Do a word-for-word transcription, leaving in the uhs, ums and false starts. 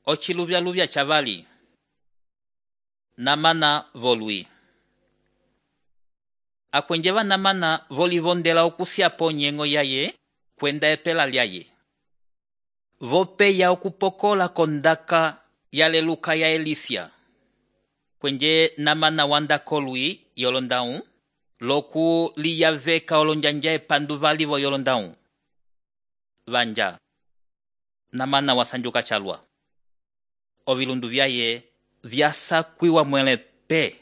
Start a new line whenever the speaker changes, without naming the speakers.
Ociluvyaluvya chavali. Namana volwi. Akwenjeva namana volivondela okusiapo nyengo yaye kwenda epela lyaye. Vopeya okupokola kondaka yaleluka ya Elisia. Kwenje namana wanda kolwi yolondaun, loku liyaveka olonjanja epanduvali vo yolondaun. Vanja. Namana wasanjuka chalwa. Ovilundu vyaye vyasakwiwa mwele pe.